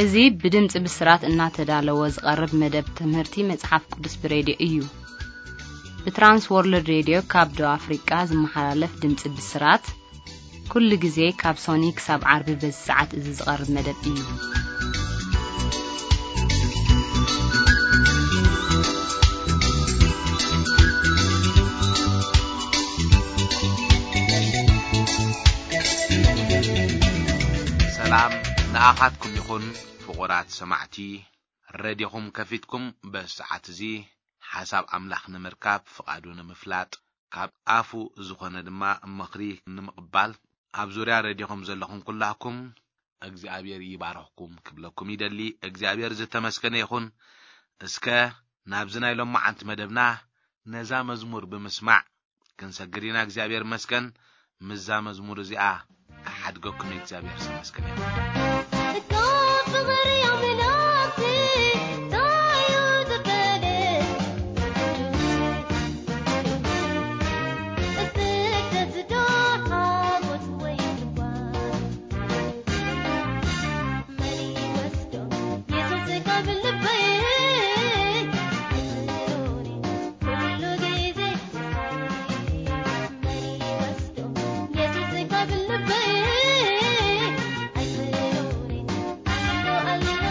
እዚ ብድምጺ ብስራት እናተዳለወ ዝቐርብ መደብ ትምህርቲ መጽሓፍ ቅዱስ ብሬድዮ እዩ። ብትራንስ ወርልድ ሬድዮ ካብ ደቡብ ኣፍሪቃ ዝመሓላለፍ ድምጺ ብስራት፣ ኩሉ ግዜ ካብ ሶኒ ክሳብ ዓርቢ በዚ ሰዓት እዚ ዝቐርብ መደብ እዩ። ሰላም ንኣኻትኩም ይኹን ፍቑራት ሰማዕቲ። ረድዮኹም ከፊትኩም በዚ ሰዓት እዚ ሓሳብ ኣምላኽ ንምርካብ፣ ፍቓዱ ንምፍላጥ፣ ካብ ኣፉ ዝኾነ ድማ ምኽሪ ንምቕባል ኣብ ዙርያ ረድዮኹም ዘለኹም ኩላኩም እግዚኣብሔር ይባርኽኩም ክብለኩም ይደሊ። እግዚኣብሔር ዝተመስገነ ይኹን። እስከ ናብዚ ናይ ሎማዓንቲ መደብና ነዛ መዝሙር ብምስማዕ ክንሰግር ኢና። እግዚኣብሔር ይመስገን። ምስዛ መዝሙር እዚኣ ክሓድገኩም እግዚኣብሔር ዝተመስገነ ይኹን። እካ ፍቕሪ ኣምላኽሲ እንታይ እዩ ዝፈልጥ? ስደት ዶ ሓጎስ ወይ ጽልዋ? መን ይወስዶ የሱስ ካብ ልበይ? ኣይትስእኑኒ ኩሉ ግዜ ምሳይ። መን ይወስዶ የሱስ ካብ ልበይ? ኣይትስእኑኒ ኣምኖ ኣለኹ።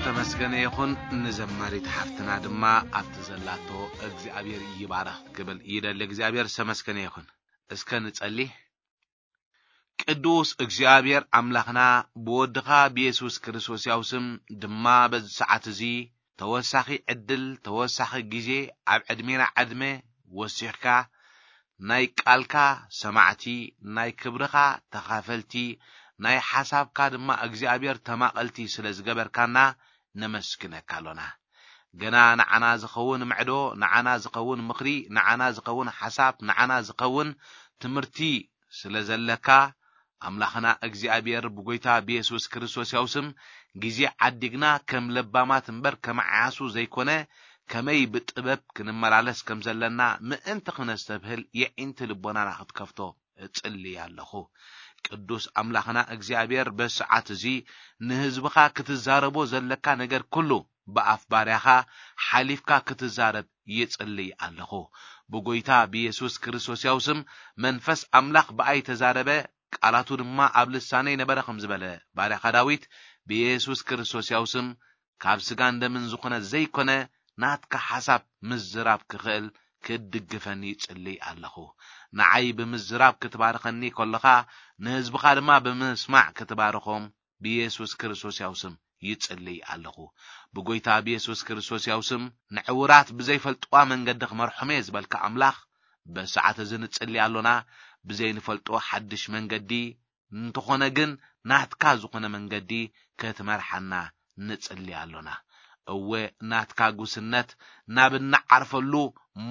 ተመስገነ ይኹን። ንዘማሪት ሓፍትና ድማ ኣብቲ ዘላቶ እግዚኣብሔር ይባረኽ ክብል ይደሊ። እግዚኣብሔር ዝተመስገነ ይኹን። እስከ ንጸሊ። ቅዱስ እግዚኣብሔር ኣምላኽና፣ ብወድኻ ብየሱስ ክርስቶስ ያው ስም ድማ በዚ ሰዓት እዚ ተወሳኺ ዕድል፣ ተወሳኺ ግዜ ኣብ ዕድሜና ዕድመ ወሲኽካ፣ ናይ ቃልካ ሰማዕቲ፣ ናይ ክብርኻ ተኻፈልቲ፣ ናይ ሓሳብካ ድማ እግዚኣብሔር ተማቐልቲ ስለ ዝገበርካና ነመስግነካ ኣሎና። ገና ንዓና ዝኸውን ምዕዶ፣ ንዓና ዝኸውን ምኽሪ፣ ንዓና ዝኸውን ሓሳብ፣ ንዓና ዝኸውን ትምህርቲ ስለ ዘለካ፣ ኣምላኽና እግዚኣብሔር ብጎይታ ብየሱስ ክርስቶስ ያው ስም ግዜ ዓዲግና ከም ለባማት እምበር ከም ዓያሱ ዘይኮነ፣ ከመይ ብጥበብ ክንመላለስ ከም ዘለና ምእንቲ ክነስተብህል የዒንቲ ልቦናና ክትከፍቶ እጽሊ ኣለኹ። ቅዱስ ኣምላኽና እግዚኣብሔር በሰዓት እዚ ንህዝብኻ ክትዛረቦ ዘለካ ነገር ኩሉ ብኣፍ ባርያኻ ሓሊፍካ ክትዛረብ ይጽልይ ኣለኹ። ብጎይታ ብየሱስ ክርስቶስ ያው ስም መንፈስ ኣምላኽ ብኣይ ተዛረበ፣ ቃላቱ ድማ ኣብ ልሳነይ ነበረ ከም ዝበለ ባርያኻ ዳዊት፣ ብየሱስ ክርስቶስ ያው ስም ካብ ስጋን ደምን ዝኾነ ዘይኮነ ናትካ ሓሳብ ምዝራብ ክኽእል ክድግፈኒ ይጽልይ ኣለኹ። ንዓይ ብምዝራብ ክትባርኸኒ ከለኻ፣ ንህዝብኻ ድማ ብምስማዕ ክትባርኾም ብየሱስ ክርስቶስ ያው ስም ይጽልይ ኣለኹ። ብጎይታ ብየሱስ ክርስቶስ ያው ስም ንዕውራት ብዘይፈልጥዋ መንገዲ ክመርሖም እየ ዝበልካ ኣምላኽ፣ በሰዓት እዚ ንጽሊ ኣሎና። ብዘይንፈልጦ ሓድሽ መንገዲ እንተኾነ ግን ናትካ ዝኾነ መንገዲ ክትመርሓና ንጽሊ ኣሎና። እወ፣ ናትካ ጉስነት ናብ እንዓርፈሉ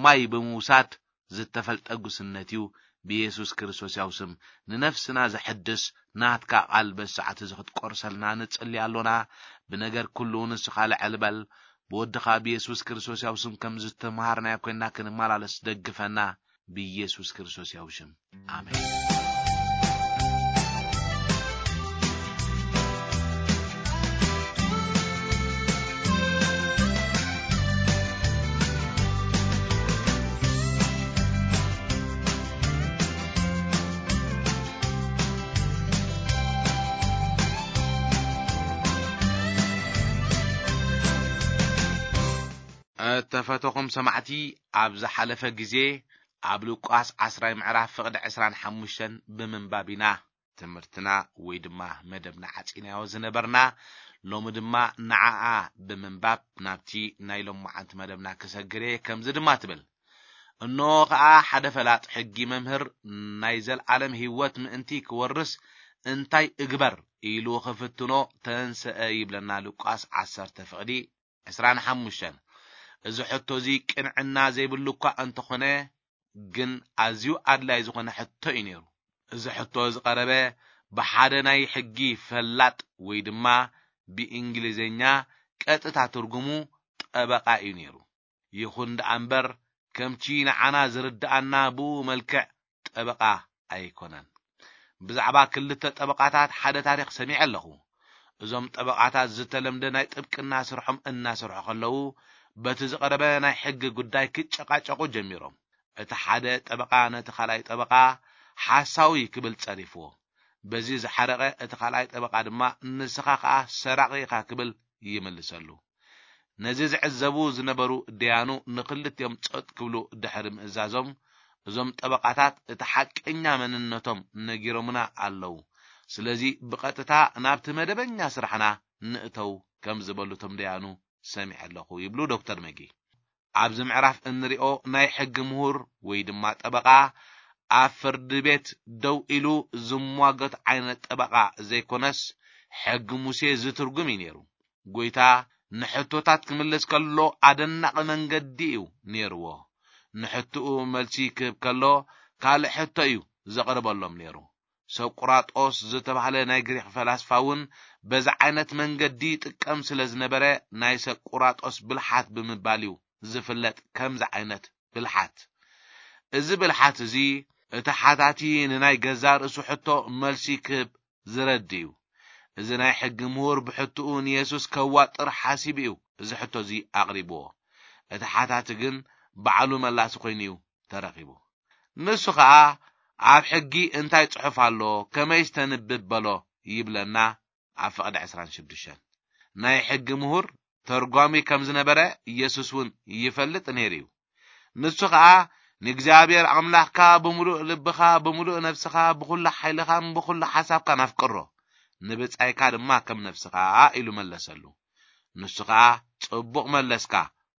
ማይ ብምውሳድ ዝተፈልጠ ጉስነት እዩ። ብየሱስ ክርስቶስ ያው ስም ንነፍስና ዘሐድስ ናትካ ቃል በሰዓት እዚ ክትቆርሰልና ንጽሊ ኣሎና። ብነገር ኩሉ ንስኻ ልዕል በል። ብወድኻ ብየሱስ ክርስቶስ ያው ስም ከም ዝተምሃርናዮ ኮይንና ክንመላለስ ደግፈና። ብየሱስ ክርስቶስ ያው ሽም። ኣሜን። እተፈተኹም ሰማዕቲ፣ ኣብ ዝሓለፈ ግዜ ኣብ ሉቃስ ዓስራይ ምዕራፍ ፍቕዲ ዕስራን ሓሙሽተን ብምንባብ ኢና ትምህርትና ወይ ድማ መደብና ዓጺናዮ ዝነበርና። ሎሚ ድማ ንዓኣ ብምንባብ ናብቲ ናይ ሎማዓንቲ መደብና ክሰግር እየ። ከምዚ ድማ ትብል፣ እነሆ ኸኣ ሓደ ፈላጥ ሕጊ መምህር ናይ ዘለዓለም ህይወት ምእንቲ ክወርስ እንታይ እግበር ኢሉ ክፍትኖ ተንስአ ይብለና ሉቃስ ዓሰርተ ፍቕዲ ዕስራን ሓሙሽተን። እዚ ሕቶ እዚ ቅንዕና ዘይብሉ እኳ እንተኾነ፣ ግን ኣዝዩ ኣድላይ ዝኾነ ሕቶ እዩ ነይሩ። እዚ ሕቶ ዝቐረበ ብሓደ ናይ ሕጊ ፈላጥ ወይ ድማ ብእንግሊዝኛ ቀጥታ ትርጉሙ ጠበቓ እዩ ነይሩ። ይኹን ደኣ እምበር፣ ከምቲ ንዓና ዝርድኣና ብኡ መልክዕ ጠበቓ ኣይኮነን። ብዛዕባ ክልተ ጠበቓታት ሓደ ታሪኽ ሰሚዐ ኣለኹ። እዞም ጠበቓታት ዝተለምደ ናይ ጥብቅና ስርሖም እናሰርሑ ከለዉ፣ በቲ ዝቐረበ ናይ ሕጊ ጉዳይ ክጨቃጨቁ ጀሚሮም። እቲ ሓደ ጠበቓ ነቲ ካልኣይ ጠበቓ ሓሳዊ ክብል ጸሪፍዎ። በዚ ዝሓረቐ እቲ ካልኣይ ጠበቓ ድማ፣ "ንስኻ ኸኣ ሰራቒ ኢኻ" ክብል ይምልሰሉ። ነዚ ዝዕዘቡ ዝነበሩ ደያኑ ንኽልቲኦም ጸጥ ክብሉ ድሕሪ ምእዛዞም፣ እዞም ጠበቓታት እቲ ሓቀኛ መንነቶም ነጊሮምና ኣለዉ። ስለዚ ብቐጥታ ናብቲ መደበኛ ስራሕና ንእተው ከም ዝበሉ እቶም ደያኑ ሰሚዐ ኣለኹ ይብሉ ዶክተር መጊ። ኣብዚ ምዕራፍ እንሪኦ ናይ ሕጊ ምሁር ወይ ድማ ጠበቓ ኣብ ፍርዲ ቤት ደው ኢሉ ዝሟገት ዓይነት ጠበቓ ዘይኮነስ፣ ሕጊ ሙሴ ዝትርጉም እዩ ነይሩ። ጎይታ ንሕቶታት ክምልስ ከሎ ኣደናቒ መንገዲ እዩ ነይርዎ። ንሕቶኡ መልሲ ክህብ ከሎ ካልእ ሕቶ እዩ ዘቕርበሎም ነይሩ። ሰቁራጦስ ዝተባህለ ናይ ግሪኽ ፈላስፋ እውን በዚ ዓይነት መንገዲ ይጥቀም ስለ ዝነበረ፣ ናይ ሰቁራጦስ ብልሓት ብምባል እዩ ዝፍለጥ። ከምዚ ዓይነት ብልሓት፣ እዚ ብልሓት እዚ እቲ ሓታቲ ንናይ ገዛእ ርእሱ ሕቶ መልሲ ክህብ ዝረድ እዩ። እዚ ናይ ሕጊ ምሁር ብሕትኡ ንየሱስ ከዋጥር ሓሲቡ እዩ እዚ ሕቶ እዚ ኣቕሪብዎ። እቲ ሓታቲ ግን ባዕሉ መላሲ ኮይኑ እዩ ተረኺቡ። ንሱ ኸኣ፣ "ኣብ ሕጊ እንታይ ጽሑፍ ኣሎ? ከመይስ ተንብብ?" በሎ ይብለና ኣብ ፍቕዲ ዕስራን ሽዱሽተን። ናይ ሕጊ ምሁር ተርጓሚ ከም ዝነበረ ኢየሱስ እውን ይፈልጥ ነይሩ እዩ። ንሱ ኸኣ ንእግዚኣብሔር ኣምላኽካ ብምሉእ ልብኻ፣ ብምሉእ ነፍስኻ፣ ብኹሉ ሓይልኻን ብኹሉ ሓሳብካን ኣፍቅሮ፣ ንብጻይካ ድማ ከም ነፍስኻ ኢሉ መለሰሉ። ንሱ ኸኣ ጽቡቕ መለስካ፣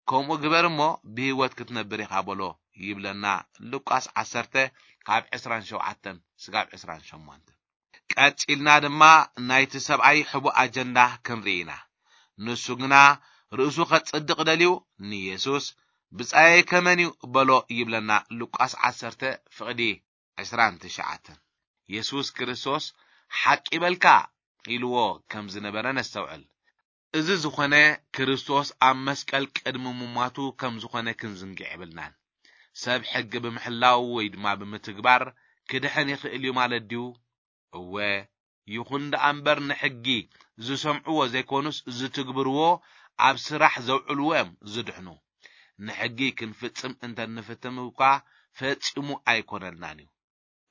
ከምኡ ግበር እሞ ብህይወት ክትነብር ኢኻ በሎ ይብለና ሉቃስ ዓሰርተ ካብ ዕስራን ሸውዓተን ስጋብ ዕስራን ሸሞንተን። ቀጺልና ድማ ናይቲ ሰብኣይ ሕቡእ ኣጀንዳ ክንርኢ ኢና። ንሱ ግና ርእሱ ከጽድቕ ደልዩ ንየሱስ ብጻየይ ከመን እዩ በሎ ይብለና ሉቃስ ዓሰርተ ፍቕዲ ዕስራን ትሽዓተን። የሱስ ክርስቶስ ሓቂ በልካ ኢልዎ ከም ዝነበረ ነስተውዕል። እዚ ዝኾነ ክርስቶስ ኣብ መስቀል ቅድሚ ምሟቱ ከም ዝኾነ ክንዝንግዕ የብልናን። ሰብ ሕጊ ብምሕላው ወይ ድማ ብምትግባር ክድሕን ይኽእል እዩ ማለት ድዩ? እወ፣ ይኹን ደኣ እምበር ንሕጊ ዝሰምዕዎ ዘይኮኑስ ዝትግብርዎ ኣብ ስራሕ ዘውዕልዎ እዮም ዝድሕኑ። ንሕጊ ክንፍጽም እንተ ንፍትም እኳ ፈጺሙ ኣይኮነልናን እዩ።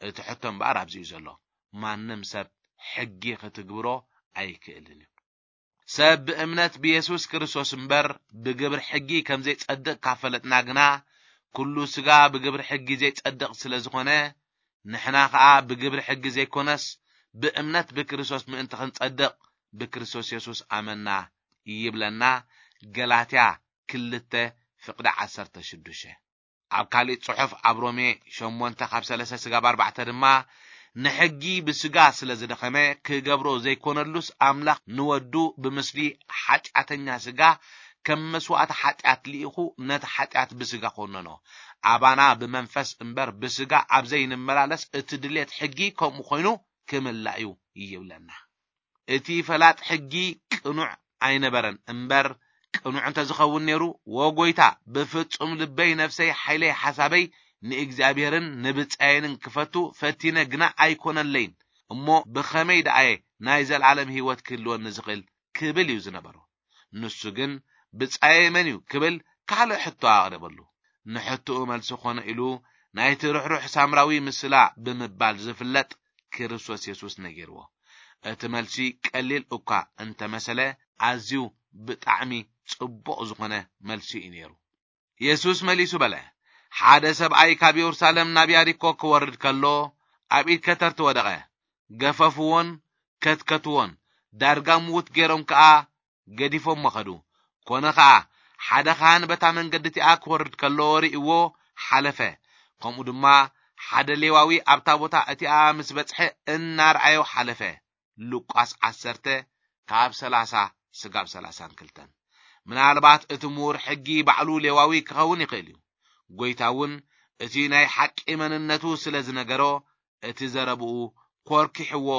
እቲ ሕቶ እምበኣር ኣብዚ እዩ ዘሎ። ማንም ሰብ ሕጊ ክትግብሮ ኣይክእልን እዩ። ሰብ ብእምነት ብየሱስ ክርስቶስ እምበር ብግብር ሕጊ ከም ዘይጸድቕ ካብ ፈለጥና ግና፣ ኩሉ ስጋ ብግብር ሕጊ ዘይጸድቕ ስለ ዝኾነ፣ ንሕና ኸኣ ብግብር ሕጊ ዘይኮነስ ብእምነት ብክርስቶስ ምእንቲ ክንጸድቕ ብክርስቶስ የሱስ ኣመና ይብለና። ገላትያ ክልተ ፍቕዲ ዓሰርተ ሽዱሽተ። ኣብ ካሊእ ጽሑፍ ኣብ ሮሜ ሸሞንተ ካብ ሰለስተ ስጋብ ኣርባዕተ ድማ፣ ንሕጊ ብስጋ ስለ ዝደኸመ ክገብሮ ዘይኮነሉስ ኣምላኽ ንወዱ ብምስሊ ሓጢኣተኛ ስጋ ከም መስዋእቲ ሓጢኣት ልኢኹ ነቲ ሓጢኣት ብስጋ ኮነኖ። ኣባና ብመንፈስ እምበር ብስጋ ኣብ ዘይንመላለስ እቲ ድሌት ሕጊ ከምኡ ኮይኑ ክምላእ እዩ ይብለና። እቲ ፈላጥ ሕጊ ቅኑዕ ኣይነበረን እምበር፣ ቅኑዕ እንተ ዝኸውን ነይሩ፣ "ወ ጎይታ፣ ብፍጹም ልበይ፣ ነፍሰይ፣ ሓይለይ፣ ሓሳበይ ንእግዚኣብሔርን ንብጻየንን ክፈቱ ፈቲነ፣ ግና ኣይኮነለይን። እሞ ብኸመይ ደኣየ ናይ ዘለኣለም ህይወት ክህልወኒ ዝኽእል?" ክብል እዩ ዝነበሮ። ንሱ ግን፣ "ብጻየይ መን እዩ?" ክብል ካልእ ሕቶ ኣቕረበሉ። ንሕቶኡ መልሲ ኾነ ኢሉ ናይቲ ርሕሩሕ ሳምራዊ ምስላ ብምባል ዝፍለጥ ክርስቶስ የሱስ ነጊርዎ። እቲ መልሲ ቀሊል እኳ እንተመሰለ፣ ኣዝዩ ብጣዕሚ ጽቡቕ ዝኾነ መልሲ እዩ ነይሩ። የሱስ መሊሱ በለ፣ "ሓደ ሰብኣይ ካብ የሩሳሌም ናብ ያሪኮ ክወርድ ከሎ፣ ኣብ ኢድ ከተርቲ ወደቐ። ገፈፍዎን ከትከትዎን፣ ዳርጋ ምዉት ገይሮም ከኣ ገዲፎሞ ኸዱ። ኮነ ኸኣ፣ ሓደ ኻህን በታ መንገዲ እቲኣ ክወርድ ከሎ ርእይዎ ሓለፈ። ከምኡ ድማ ሓደ ሌዋዊ ኣብታ ቦታ እቲኣ ምስ በጽሐ እናርኣዮ ሓለፈ።" ሉቃስ ዓሰርተ ካብ ሰላሳ ስጋብ ሰላሳን ክልተን። ምናልባት እቲ ምሁር ሕጊ ባዕሉ ሌዋዊ ክኸውን ይኽእል እዩ። ጐይታ እውን እቲ ናይ ሓቂ መንነቱ ስለ ዝነገሮ፣ እቲ ዘረብኡ ኮርኪሕዎ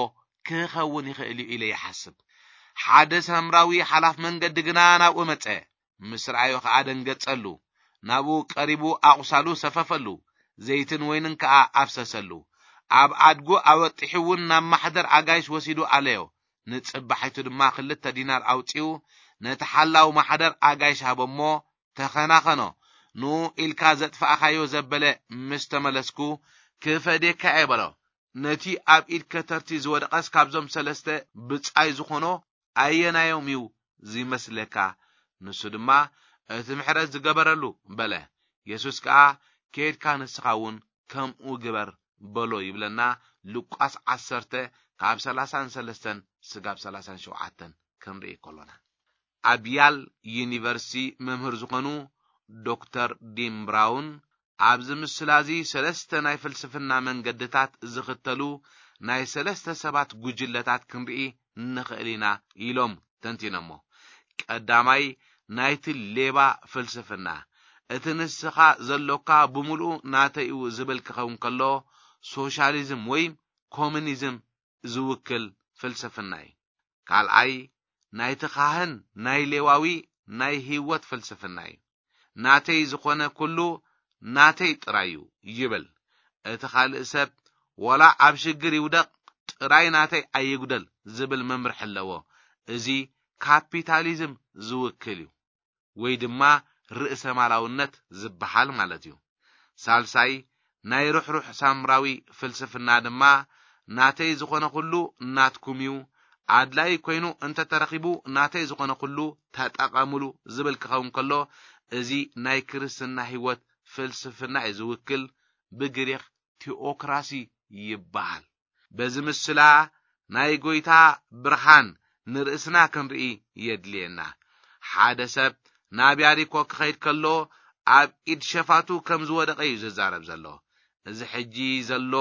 ክኸውን ይኽእል እዩ ኢለ ይሓስብ። ሓደ ሳምራዊ ሓላፍ መንገዲ ግና ናብኡ መጸ። ምስ ረኣዮ ኸኣ ደንገጸሉ። ናብኡ ቀሪቡ ኣቑሳሉ ሰፈፈሉ፣ ዘይትን ወይንን ከኣ ኣፍሰሰሉ። ኣብ ኣድጉ ኣወጢሑ እውን ናብ ማሕደር ኣጋይሽ ወሲዱ ኣለዮ። ንጽባሒቱ ድማ ክልተ ዲናር ኣውጺኡ ነቲ ሓላው ማሕደር ኣጋይሽ ሃቦ እሞ፣ "ተኸናኸኖ፣ ንኡ ኢልካ ዘጥፋእካዮ ዘበለ ምስ ተመለስኩ ክፈድየካ እየ" በሎ። ነቲ ኣብ ኢድ ከተርቲ ዝወደቐስ ካብዞም ሰለስተ ብጻይ ዝኾኖ ኣየናዮም እዩ ዝመስለካ? ንሱ ድማ፣ "እቲ ምሕረት ዝገበረሉ" በለ። የሱስ ከኣ፣ "ኬድካ ንስኻ እውን ከምኡ ግበር" በሎ ይብለና ሉቃስ ዓሰርተ ካብ ሰላሳን ሰለስተን ስጋብ ሰላሳን ሸውዓተን ክንርኢ ከሎና። ኣብ ያል ዩኒቨርሲቲ መምህር ዝኾኑ ዶክተር ዲን ብራውን፣ "ኣብዚ ምስላ እዚ ሰለስተ ናይ ፍልስፍና መንገድታት ዝኽተሉ ናይ ሰለስተ ሰባት ጉጅለታት ክንርኢ ንኽእል ኢና" ኢሎም ተንቲኖሞ። ቀዳማይ፣ ናይቲ ሌባ ፍልስፍና፣ "እቲ ንስኻ ዘሎካ ብምሉኡ ናተይ እዩ" ዝብል ክኸውን ከሎ፣ ሶሻሊዝም ወይ ኮሙኒዝም ዝውክል ፍልስፍና እዩ። ካልኣይ፣ ናይቲ ካህን ናይ ሌዋዊ ናይ ህይወት ፍልስፍና እዩ። "ናተይ ዝኾነ ኩሉ ናተይ ጥራይ እዩ" ይብል። እቲ ካልእ ሰብ፣ "ዋላ ኣብ ሽግር ይውደቕ፣ ጥራይ ናተይ ኣይጉደል" ዝብል መምርሒ ኣለዎ። እዚ ካፒታሊዝም ዝውክል እዩ፣ ወይ ድማ ርእሰ ማላውነት ዝበሃል ማለት እዩ። ሳልሳይ፣ ናይ ርሕሩሕ ሳምራዊ ፍልስፍና ድማ፣ "ናተይ ዝኾነ ኩሉ ናትኩም እዩ፣ ኣድላይ ኮይኑ እንተተረኺቡ ናተይ ዝኾነ ኩሉ ተጠቐምሉ ዝብል ክኸውን ከሎ፣ እዚ ናይ ክርስትና ህይወት ፍልስፍና እዩ ዝውክል፣ ብግሪኽ ቲኦክራሲ ይበሃል። በዚ ምስላ ናይ ጎይታ ብርሃን ንርእስና ክንርኢ የድልየና። ሓደ ሰብ ናብ ያሪኮ ክኸይድ ከሎ ኣብ ኢድ ሸፋቱ ከም ዝወደቐ እዩ ዝዛረብ ዘሎ። እዚ ሕጂ ዘሎ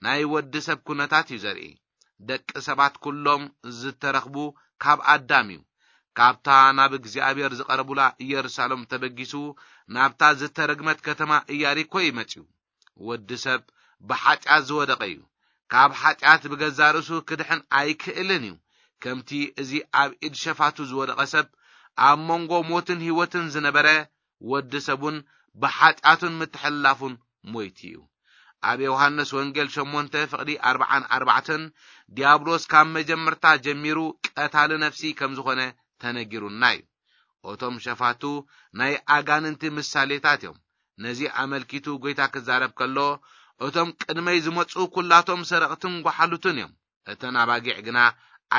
ናይ ወዲ ሰብ ኩነታት እዩ ዘርኢ። ደቂ ሰባት ኩሎም ዝተረኽቡ ካብ ኣዳም እዩ። ካብታ ናብ እግዚኣብሔር ዝቐረቡላ ኢየሩሳሌም ተበጊሱ ናብታ ዝተረግመት ከተማ ኢያሪኮ እዩ መጺኡ። ወዲ ሰብ ብሓጢኣት ዝወደቐ እዩ። ካብ ሓጢኣት ብገዛ ርእሱ ክድሕን ኣይክእልን እዩ። ከምቲ እዚ ኣብ ኢድ ሸፋቱ ዝወደቐ ሰብ ኣብ መንጎ ሞትን ህይወትን ዝነበረ፣ ወዲ ሰብ እውን ብሓጢኣቱን ምትሕልላፉን ሞይቱ እዩ። ኣብ ዮሃንስ ወንጌል ሸሞንተ ፍቕዲ ኣርብዓን ኣርባዕተን፣ ዲያብሎስ ካብ መጀመርታ ጀሚሩ ቀታሊ ነፍሲ ከም ዝኾነ ተነጊሩና እዩ። እቶም ሸፋቱ ናይ ኣጋንንቲ ምሳሌታት እዮም። ነዚ ኣመልኪቱ ጎይታ ክዛረብ ከሎ፣ እቶም ቅድመይ ዝመጹ ኩላቶም ሰረቕትን ጓሓሉትን እዮም፣ እተን ኣባጊዕ ግና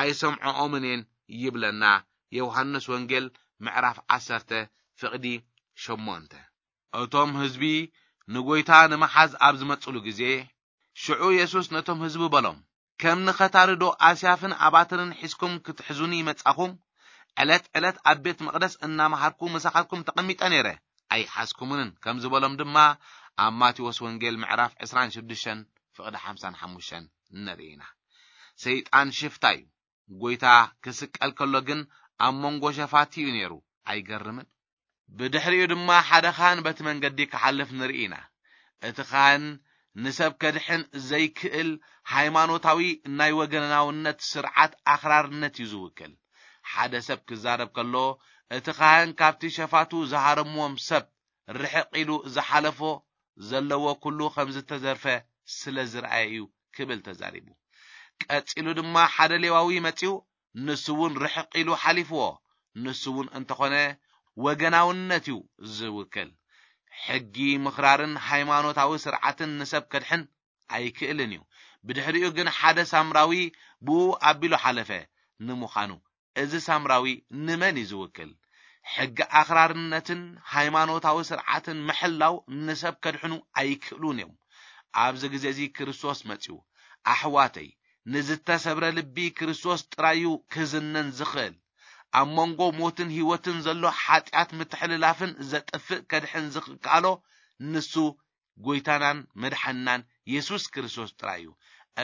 ኣይሰምዖኦምን እየን ይብለና። ዮሃንስ ወንጌል ምዕራፍ ዓሰርተ ፍቕዲ ሸሞንተ። እቶም ህዝቢ ንጎይታ ንምሓዝ ኣብ ዝመጽሉ ግዜ፣ ሽዑ የሱስ ነቶም ህዝቢ በሎም፣ ከም ንኸታሪ ዶ ኣስያፍን ኣባትርን ሒዝኩም ክትሕዙኒ ይመጻኹም? ዕለት ዕለት ኣብ ቤት መቕደስ እናመሃርኩ ምሳኻትኩም ተቐሚጠ ነይረ፣ ኣይሓዝኩምንን ከም ዝበሎም ድማ ኣብ ማቴዎስ ወንጌል ምዕራፍ ዕስራን ሽዱሽተን ፍቕዲ ሓምሳን ሓሙሽተን ንርኢ ኢና። ሰይጣን ሽፍታ እዩ። ጎይታ ክስቀል ከሎ ግን ኣብ መንጎ ሸፋቲ እዩ ነይሩ። ኣይገርምን? ብድሕሪኡ ድማ ሓደ ካህን በቲ መንገዲ ክሓልፍ ንርኢ ኢና። እቲ ካህን ንሰብ ከድሕን ዘይክእል ሃይማኖታዊ ናይ ወገናውነት ስርዓት ኣኽራርነት እዩ ዝውክል። ሓደ ሰብ ክዛረብ ከሎ፣ እቲ ካህን ካብቲ ሸፋቱ ዝሃረምዎም ሰብ ርሕቕ ኢሉ ዝሓለፎ ዘለዎ ኩሉ ከም ዝተዘርፈ ስለ ዝረኣየ እዩ ክብል ተዛሪቡ። ቀጺሉ ድማ ሓደ ሌዋዊ መጺኡ፣ ንሱ እውን ርሕቕ ኢሉ ሓሊፍዎ። ንሱ እውን እንተኾነ ወገናውነት እዩ ዝውክል። ሕጊ ምኽራርን ሃይማኖታዊ ስርዓትን ንሰብ ከድሕን ኣይክእልን እዩ። ብድሕሪኡ ግን ሓደ ሳምራዊ ብኡ ኣቢሉ ሓለፈ። ንምዃኑ እዚ ሳምራዊ ንመን እዩ ዝውክል? ሕጊ ኣኽራርነትን ሃይማኖታዊ ስርዓትን ምሕላው ንሰብ ከድሕኑ ኣይክእሉን እዮም። ኣብዚ ግዜ እዚ ክርስቶስ መጺኡ። ኣሕዋተይ፣ ንዝተሰብረ ልቢ ክርስቶስ ጥራይ እዩ ክዝነን ዝኽእል። ኣብ መንጎ ሞትን ህይወትን ዘሎ ሓጢኣት ምትሕልላፍን ዘጥፍእ ከድሕን ዝከኣሎ ንሱ ጎይታናን መድሓንናን የሱስ ክርስቶስ ጥራይ እዩ።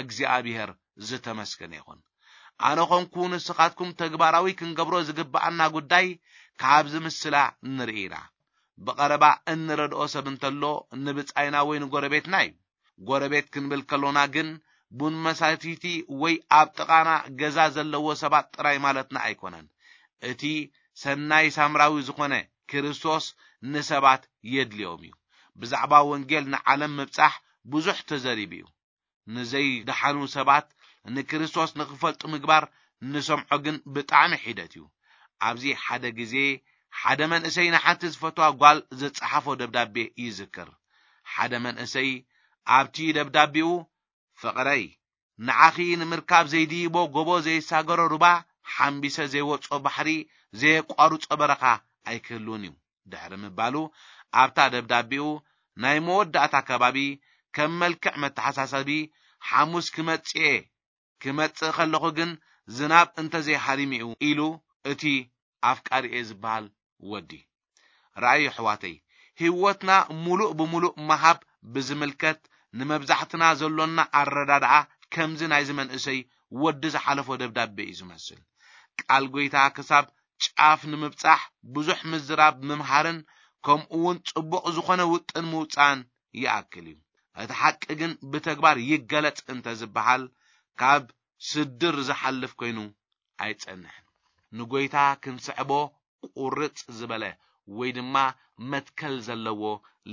እግዚኣብሔር ዝተመስገነ ይኹን። ኣነ ኾንኩ ንስኻትኩም ተግባራዊ ክንገብሮ ዝግብኣና ጉዳይ ካብዚ ምስላ ንርኢ ኢና። ብቐረባ እንረድኦ ሰብ እንተሎ ንብጻይና ወይ ንጎረቤትና እዩ። ጎረቤት ክንብል ከሎና ግን ቡን መሳቲቲ ወይ ኣብ ጥቓና ገዛ ዘለዎ ሰባት ጥራይ ማለትና ኣይኮነን። እቲ ሰናይ ሳምራዊ ዝኾነ ክርስቶስ ንሰባት የድልዮም እዩ። ብዛዕባ ወንጌል ንዓለም ምብጻሕ ብዙሕ ተዘሪቡ እዩ። ንዘይደሓኑ ሰባት ንክርስቶስ ንኽፈልጡ ምግባር ንሰምዖ ግን ብጣዕሚ ሒደት እዩ። ኣብዚ ሓደ ግዜ ሓደ መንእሰይ ንሓንቲ ዝፈትዋ ጓል ዝጸሓፎ ደብዳቤ ይዝክር። ሓደ መንእሰይ ኣብቲ ደብዳቤኡ፣ "ፍቕረይ፣ ንዓኺ ንምርካብ ዘይድይቦ ጎቦ ዘይሳገሮ ሩባ፣ ሓምቢሰ ዘይወጾ ባሕሪ፣ ዘየቋርጾ በረኻ ኣይክህሉን እዩ" ድሕሪ ምባሉ፣ ኣብታ ደብዳቤኡ ናይ መወዳእታ ከባቢ ከም መልክዕ መተሓሳሰቢ፣ "ሓሙስ ክመጽእ እየ፣ ክመጽእ ከለኹ ግን ዝናብ እንተዘይሃሪሙ" ኢሉ እቲ ኣፍቃሪኤ ዝበሃል ወዲ። ረኣዩ ኣሕዋተይ፣ ህይወትና ሙሉእ ብሙሉእ ምሃብ ብዝምልከት ንመብዛሕትና ዘሎና ኣረዳድኣ ከምዚ ናይዚ መንእሰይ ወዲ ዝሓለፎ ደብዳቤ እዩ ዝመስል። ቃል ጎይታ ክሳብ ጫፍ ንምብጻሕ ብዙሕ ምዝራብ ምምሃርን ከምኡ እውን ጽቡቕ ዝኾነ ውጥን ምውጻእን ይኣክል እዩ። እቲ ሓቂ ግን ብተግባር ይገለጽ እንተ ዝበሃል ካብ ስድር ዝሓልፍ ኮይኑ ኣይጸንሕን። ንጎይታ ክንስዕቦ ቁርጽ ዝበለ ወይ ድማ መትከል ዘለዎ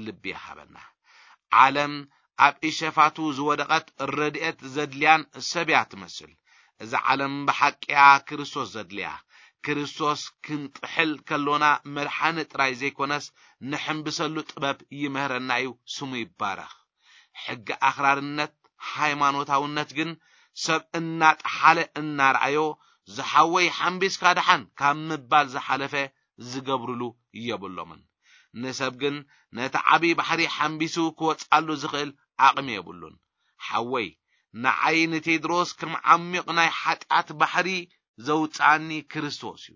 ልቢ ይሃበና። ዓለም ኣብ ኢሸፋቱ ዝወደቐት ረድኤት ዘድልያን ሰብ እያ ትመስል። እዛ ዓለም ብሓቂ እያ ክርስቶስ ዘድልያ። ክርስቶስ ክንጥሕል ከሎና መድሓኒ ጥራይ ዘይኮነስ ንሕንብሰሉ ጥበብ ይምህረና እዩ፣ ስሙ ይባረኽ። ሕጊ ኣኽራርነት፣ ሃይማኖታውነት ግን ሰብ እናጠሓለ እናረኣዮ፣ "ዝሓወይ ሓምቢስካ ደሓን" ካብ ምባል ዝሓለፈ ዝገብርሉ የብሎምን። ንሰብ ግን ነቲ ዓቢ ባሕሪ ሓምቢሱ ክወጽኣሉ ዝኽእል ዓቕሚ የብሉን። "ሓወይ፣ ንዓይ ንቴድሮስ ከም ዓሚቕ ናይ ሓጢኣት ባሕሪ ዘውጽኣኒ ክርስቶስ እዩ።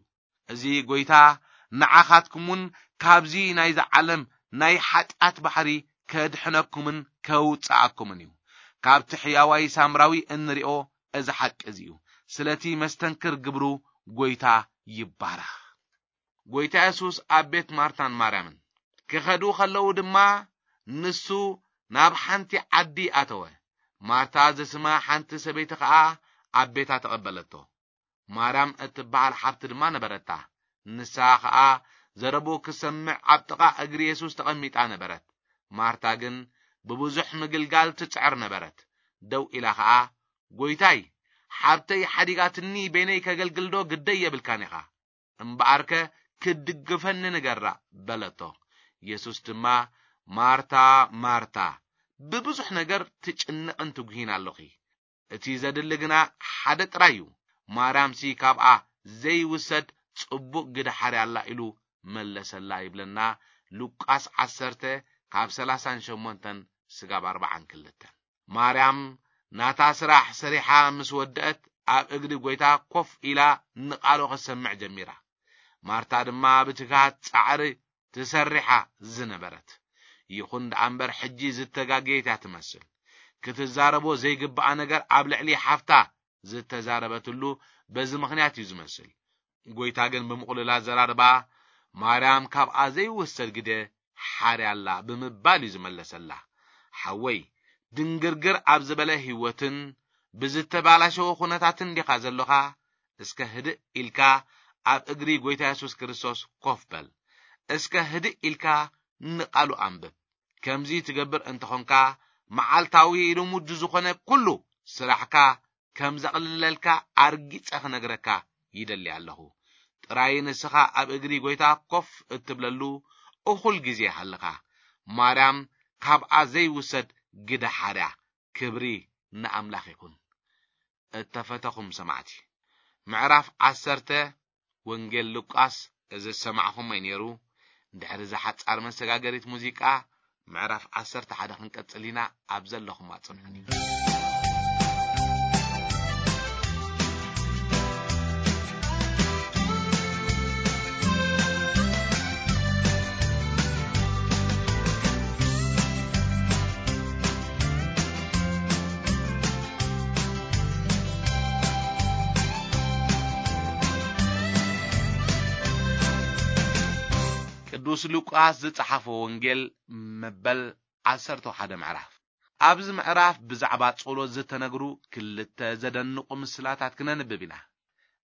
እዚ ጎይታ ንዓኻትኩም እውን ካብዚ ናይዚ ዓለም ናይ ሓጢኣት ባሕሪ ከድሕነኩምን ከውጽኣኩምን እዩ። ካብቲ ሕያዋይ ሳምራዊ እንሪኦ እዚ ሓቂ እዚ እዩ። ስለቲ መስተንክር ግብሩ ጎይታ ይባረኽ።" ጎይታ የሱስ ኣብ ቤት ማርታን ማርያምን ክኸዱ ከለዉ ድማ ንሱ ናብ ሓንቲ ዓዲ ኣተወ። ማርታ ዝስማ ሓንቲ ሰበይቲ ኸኣ ኣብ ቤታ ተቐበለቶ። ማርያም እትበሃል ሓብቲ ድማ ነበረታ። ንሳ ኸኣ ዘረቡ ክሰምዕ ኣብ ጥቓ እግሪ የሱስ ተቐሚጣ ነበረት። ማርታ ግን ብብዙሕ ምግልጋል ትጽዕር ነበረት። ደው ኢላ ኸኣ፣ "ጎይታይ፣ ሓብተይ ሓዲጋትኒ በይነይ ከገልግልዶ ግደይ የብልካን ኢኻ? እምበኣርከ ክትድግፈኒ ንገራ" በለቶ። የሱስ ድማ፣ "ማርታ፣ ማርታ፣ ብብዙሕ ነገር ትጭነቕን ትጉሂን ኣሎኺ። እቲ ዘድሊ ግና ሓደ ጥራይ እዩ። ማርያምሲ ካብኣ ዘይውሰድ ጽቡቕ ግደ ሓርያ ኣላ" ኢሉ መለሰላ ይብለና። ሉቃስ ዓሰርተ ካብ ሰላሳን ሸሞንተን ስጋብ ኣርባዓን ክልተን። ማርያም ናታ ስራሕ ሰሪሓ ምስ ወደአት ኣብ እግሪ ጎይታ ኮፍ ኢላ ንቓሉ ክትሰምዕ ጀሚራ። ማርታ ድማ ብትግሃት ጻዕሪ ትሰርሓ ዝነበረት። ይኹን ደኣ እምበር ሕጂ ዝተጋገየት እያ ትመስል። ክትዛረቦ ዘይግብኣ ነገር ኣብ ልዕሊ ሓፍታ ዝተዛረበትሉ በዚ ምኽንያት እዩ ዝመስል። ጎይታ ግን ብምቕሉል ኣዘራርባ፣ "ማርያም ካብኣ ዘይውሰድ ግደ ሓርያ ኣላ" ብምባል እዩ ዝመለሰላ። "ሓወይ፣ ድንግርግር ኣብ ዝበለ ህይወትን ብዝተባላሸወ ኩነታትን ዲኻ ዘሎኻ? እስከ ህድእ ኢልካ ኣብ እግሪ ጎይታ የሱስ ክርስቶስ ኮፍ በል። እስከ ህድእ ኢልካ ንቓሉ ኣንብብ። ከምዚ ትገብር እንተኾንካ፣ መዓልታዊ ልሙድ ዝኾነ ኩሉ ስራሕካ ከም ዘቕልለልካ ኣርጊጸ ክነግረካ ይደሊ ኣለኹ። ጥራይ ንስኻ ኣብ እግሪ ጎይታ ኮፍ እትብለሉ እኹል ግዜ ሃልኻ። ማርያም ካብኣ ዘይውሰድ ግደ ሓርያ። ክብሪ ንኣምላኽ ይኹን። እተፈተኹም ሰማዕቲ፣ ምዕራፍ ዓሰርተ ወንጌል ሉቃስ እዚ ዝሰማዕኹሞ እዩ ነይሩ። ድሕሪ እዛ ሓጻር መሰጋገሪት ሙዚቃ፣ ምዕራፍ ዓሰርተ ሓደ ክንቀጽል ኢና። ኣብ ዘለኹም ኣጽንሑኒ። ቅዱስ ሉቃስ ዝጸሓፎ ወንጌል መበል ዓሰርተ ሓደ ምዕራፍ። ኣብዚ ምዕራፍ ብዛዕባ ጸሎት ዝተነግሩ ክልተ ዘደንቑ ምስላታት ክነንብብ ኢና።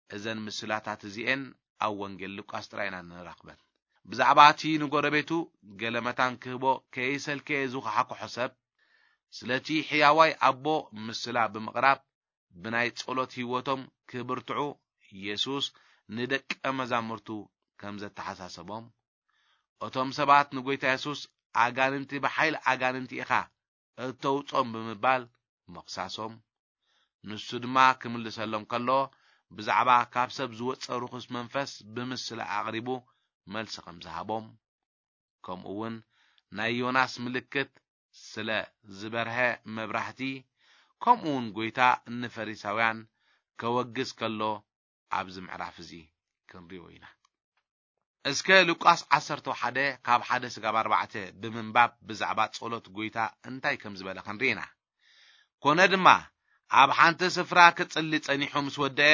እዘን ምስላታት እዚኤን ኣብ ወንጌል ሉቃስ ጥራይ ኢና ንረኽበን። ብዛዕባ እቲ ንጎረቤቱ ገለ መታን ክህቦ ከይሰልከየ ዝኹሓኩሖ ሰብ፣ ስለቲ ሕያዋይ ኣቦ ምስላ ብምቕራብ፣ ብናይ ጸሎት ህይወቶም ክብርትዑ የሱስ ንደቀ መዛሙርቱ ከም ዘተሓሳሰቦም፣ እቶም ሰባት ንጎይታ የሱስ ኣጋንንቲ ብሓይሊ ኣጋንንቲ ኢኻ እተውጾም ብምባል ምኽሳሶም፣ ንሱ ድማ ክምልሰሎም ከሎ፣ ብዛዕባ ካብ ሰብ ዝወጸ ርኹስ መንፈስ ብምስላ ኣቕሪቡ መልሲ ከም ዝሃቦም፣ ከምኡ እውን ናይ ዮናስ ምልክት ስለ ዝበርሀ መብራህቲ፣ ከምኡ እውን ጎይታ ንፈሪሳውያን ከወግዝ ከሎ ኣብዚ ምዕራፍ እዚ ክንሪኦ ኢና። እስከ ሉቃስ ዓሰርተ ሓደ ካብ ሓደ ስጋብ ኣርባዕተ ብምንባብ ብዛዕባ ጸሎት ጎይታ እንታይ ከም ዝበለ ክንርኢ ኢና። ኮነ ድማ ኣብ ሓንቲ ስፍራ ክጽሊ ጸኒሑ ምስ ወደአ፣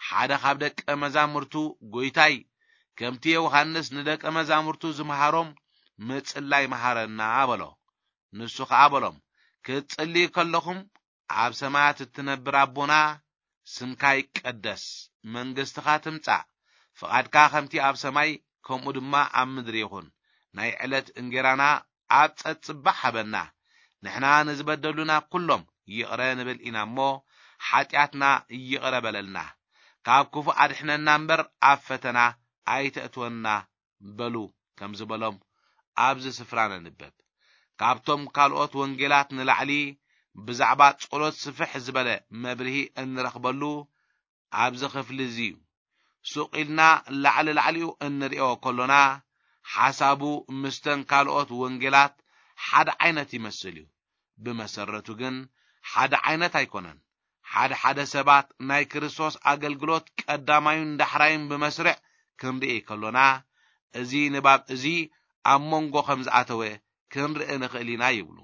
ሓደ ካብ ደቀ መዛሙርቱ፣ "ጎይታይ፣ ከምቲ ዮሃንስ ንደቀ መዛሙርቱ ዝመሃሮም ምጽላይ መሃረና" በሎ። ንሱ ኸኣ በሎም፣ "ክትጽልዩ ከለኹም ኣብ ሰማያት እትነብር ኣቦና፣ ስምካ ይቀደስ፣ መንግስትኻ ትምጻእ፣ ፍቓድካ ከምቲ ኣብ ሰማይ ከምኡ ድማ ኣብ ምድሪ ይኹን። ናይ ዕለት እንጌራና ኣብ ጸጽባሕ ሃበና። ንሕና ንዝበደሉና ኩሎም ይቕረ ንብል ኢና እሞ፣ ሓጢኣትና ይቕረ በለልና። ካብ ክፉእ ኣድሕነና እምበር ኣብ ፈተና ኣይተእትወና" በሉ ከም ዝበሎም ኣብዚ ስፍራ ነንብብ። ካብቶም ካልኦት ወንጌላት ንላዕሊ ብዛዕባ ጸሎት ስፍሕ ዝበለ መብርሂ እንረኽበሉ ኣብዚ ክፍሊ እዚ እዩ። ሱቕ ኢልና ላዕሊ ላዕሊኡ እንሪኦ ከሎና፣ ሓሳቡ ምስተን ካልኦት ወንጌላት ሓደ ዓይነት ይመስል እዩ። ብመሰረቱ ግን ሓደ ዓይነት ኣይኮነን። ሓደ ሓደ ሰባት ናይ ክርስቶስ ኣገልግሎት ቀዳማዩን ዳሕራዩን ብመስርዕ ክንርኢ ከሎና፣ እዚ ንባብ እዚ ኣብ መንጎ ከም ዝኣተወ ክንርኢ ንኽእል ኢና ይብሉ።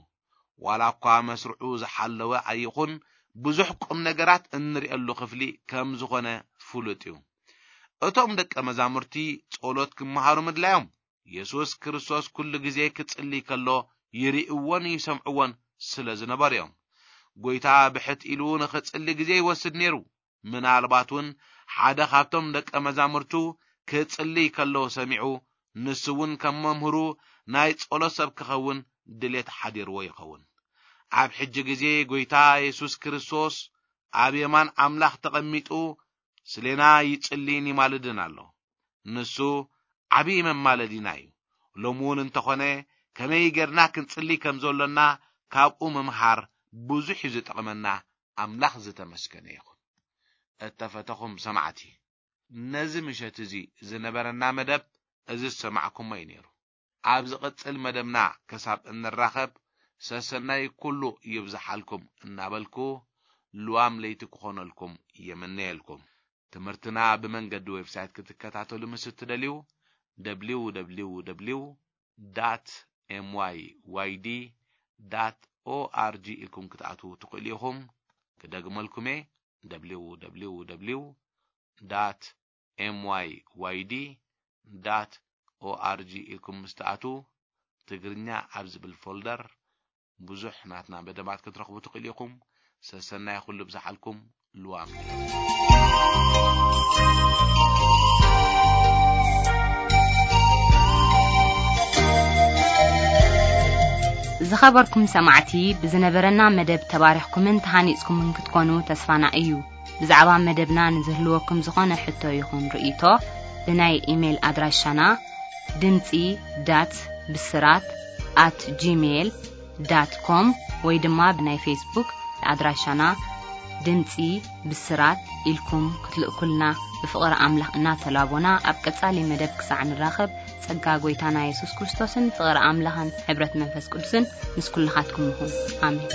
ዋላ እኳ መስርዑ ዝሓለወ ኣይኹን፣ ብዙሕ ቁም ነገራት እንርእየሉ ክፍሊ ከም ዝኾነ ፍሉጥ እዩ። እቶም ደቀ መዛሙርቲ ጸሎት ክመሃሩ ምድላዮም፣ የሱስ ክርስቶስ ኩሉ ግዜ ክጽሊ ከሎ ይርእይዎን ይሰምዕዎን ስለ ዝነበሩ እዮም። ጎይታ ብሕት ኢሉ ንኽጽሊ ግዜ ይወስድ ነይሩ። ምናልባት እውን ሓደ ካብቶም ደቀ መዛሙርቱ ክጽሊ ከሎ ሰሚዑ፣ ንሱ እውን ከም መምህሩ ናይ ጸሎት ሰብ ክኸውን ድሌት ሓዲርዎ ይኸውን። ኣብ ሕጂ ግዜ ጎይታ የሱስ ክርስቶስ ኣብ የማን ኣምላኽ ተቐሚጡ ስሌና ይጽልይን ይማልድን ኣሎ። ንሱ ዓብዪ መማለዲና እዩ። ሎሚ እውን እንተኾነ ከመይ ጌርና ክንጽሊ ከም ዘሎና ካብኡ ምምሃር ብዙሕ እዩ ዝጠቕመና። ኣምላኽ ዝተመስገነ ይኹን። እተፈተኹም ሰማዕቲ፣ ነዚ ምሸት እዚ ዝነበረና መደብ እዚ ዝሰማዕኩሞ እዩ ነይሩ። ኣብ ዝቕጽል መደብና ክሳብ እንራኸብ ሰሰናይ ኩሉ ይብዝሓልኩም እናበልኩ ልዋም ለይቲ ክኾነልኩም የምነየልኩም። ትምህርትና ብመንገዲ ዌብሳይት ክትከታተሉ ምስ እትደልዩ ደብሊው ደብሊው ደብሊው ዳት ኤምዋይዋይዲ ዳት ኦኣርጂ ኢልኩም ክትኣትዉ ትኽእሉ ኢኹም። ክደግመልኩም እየ፣ ደብሊው ደብሊው ደብሊው ዳት ኤምዋይዋይዲ ዳት ኦኣርጂ ኢልኩም ምስ ትኣትዉ ትግርኛ ኣብ ዝብል ፎልደር ብዙሕ ናትና መደባት ክትረኽቡ ትኽእሉ ኢኹም። ሰሰናይ ኩሉ ብዝሓልኩም። ልዋም። ዝኸበርኩም ሰማዕቲ፣ ብዝነበረና መደብ ተባሪኽኩምን ተሃኒጽኩምን ክትኮኑ ተስፋና እዩ። ብዛዕባ መደብና ንዝህልወኩም ዝኾነ ሕቶ ይኹን ርእይቶ፣ ብናይ ኢሜይል ኣድራሻና ድምጺ ዳት ብስራት ኣት ጂሜይል ዳት ኮም ወይ ድማ ብናይ ፌስቡክ ኣድራሻና ድምጺ ብስራት ኢልኩም ክትልእኩልና ብፍቕሪ ኣምላኽ እናተላቦና፣ ኣብ ቀጻሊ መደብ ክሳዕ ንራኸብ፣ ጸጋ ጎይታና የሱስ ክርስቶስን ፍቕሪ ኣምላኽን ሕብረት መንፈስ ቅዱስን ምስ ኩልኻትኩም ይኹን። ኣሜን።